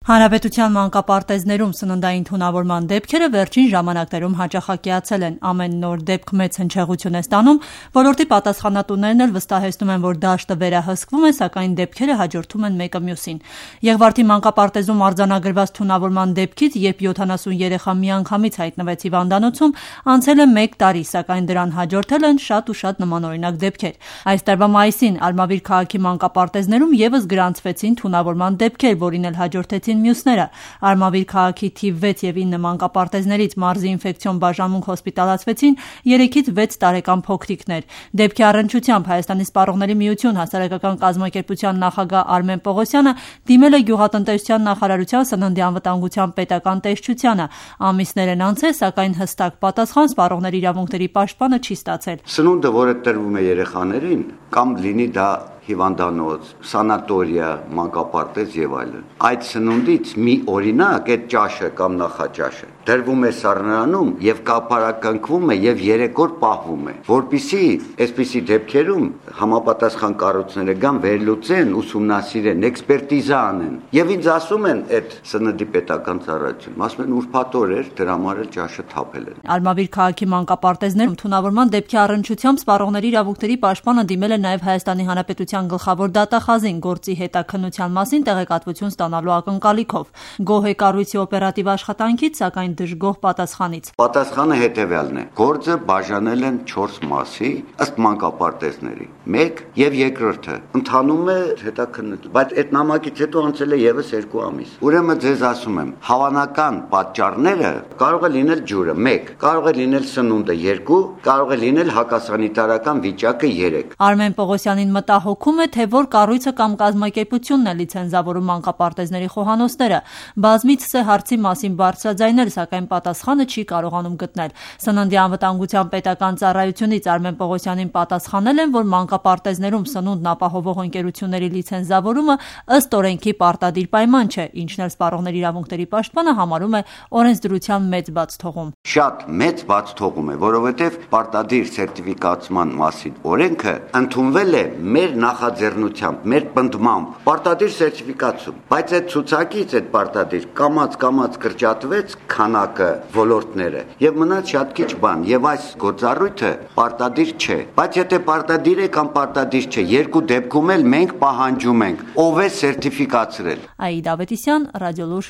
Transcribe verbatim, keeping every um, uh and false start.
Հանրապետության մանկապարտեզներում սննդային թունավորման դեպքերը վերջին ժամանակներում հաճախակիացել են։ Ամեն նոր դեպք մեծ հնչեղություն է ստանում, ոլորտի պատասխանատուներն էլ վստահեցնում են, որ դաշտը վերահսկվում է, սակայն դեպքերը հաջորդում են մեկը մյուսին։ Եղվարդի մանկապարտեզում արձանագրված թունավորման դեպքից, երբ յոթանասուն երեխա միանգամից հայտնվեց հիվանդանոցում, անցել է մեկ տարի, սակայն դրան հաջորդել են շատ ու շատ նմանօրինակ դեպքեր։ Այս տարվա մայիսին Արմավիր քաղաքի մանկապարտեզներում ևս գրանցվեցին թունավորման դեպքեր, որին էլ հաջորդեցին մյուսները։ Արմավիր քաղաքի թիվ վեց և ինը մանկապարտեզներից մարզի ինֆեկցիոն բաժանմունք հոսպիտալացվեցին երեքից վեց տարեկան փոքրիկներ։ Դեպքի առնչությամբ Հայաստանի սպառողների միություն հասարակական կազմակերպության նախագահ Արմեն Պողոսյանը դիմել է գյուղատնտեսության նախարարության սննդի անվտանգության պետական տեսչությանը։ Ամիսներ են անցել, սակայն հստակ պատասխան սպառողների իրավունքների պաշտպանը չի ստացել։ Սնունդը, որը տրվում է երեխաներին, կամ լինի դա հիվանդանոց, սանատորիա, մանկապարտեզ եւ այլն։ Այդ սնունդից մի օրինակ այդ ճաշը կամ նախաճաշը դրվում է սառնարանում եւ կապարակնքվում է եւ երեք օր պահվում է, որpիսի այսպիսի դեպքերում համապատասխան կառույցները գան վերլուծեն, ուսումնասիրեն, էքսպերտիզա անեն եւ ինձ ասում են այդ սննդի պետական ծառայությունում, ասում են ուրբաթ օր էր դրա համար էլ ճաշը թափել են։ Արմավիր քաղաքի մանկապարտեզներում թունավորման դեպքի առնչությամբ սպառողների իրավունքների պաշտպանը դիմել է նաեւ Հայաստանի Հանրապետության գլխավոր դատախազին գործի հետաքննության մասին տեղեկատվություն ստանալու ակնկալիքով։ Գոհ է կառույցի օպերատիվ աշխատանքից, սակայն դժգոհ պատասխանից։ Պատասխանը հետևյալն է. գործը բաժանել են չորս մասի ըստ մանկապարտեզների։ Մեկ եւ երկրորդը ընթանում է հետաքննություն, բայց այդ նամակից հետո անցել է եւս երկու ամիս։ Ուրեմն ձեզ ասում եմ, հավանական պատճառները կարող է լինել ջուրը մեկ, կարող է լինել սնունդը երկու, կարող է լինել հակասանիտարական վիճակը երեք։ Արմեն Պողոսյանին մտահոգում է, թե որ կառույցը կամ կազմակերպությունն է լիցենզավորում մանկապարտեզների խոհանոցները։ Բազմիցս է հարցի մասին բարձրաձայնել, սակայն պատասխանը չի կարողանում գտնել։ Սննդի անվտանգության պետական ծառայությունից Արմեն Պողոսյանին պատասխանել են, որ մանկապարտեզներում սնունդն ապահովող ընկերությունների լիցենզավորումը ըստ օրենքի պարտադիր պայման չէ, ինչն էլ սպառողների իրավունքների պաշտպանը համարում է օրենսդրության մեծ բացթողում։ Շատ մեծ բացթողում է, որովհետև պարտադիր սերտիֆիկացման մասին օրենքը ընդունվել է մեր նախաձեռնությամբ, մեր պնդմամբ, պարտադիր սերտիֆիկացում, բայց այդ ցուցակից այդ պարտադիր կամաց-կամաց կրճատվեց քանակը, ոլորտները եւ մնաց շատ քիչ բան, եւ այս գործառույթը պարտադիր չէ, բայց եթե պարտադիր է կամ պարտադիր չէ, երկու դեպքում էլ մենք պահանջում ենք, ով է սերտիֆիկացրել։ Աիդա Ավետիսյան, Ռադիոլուր։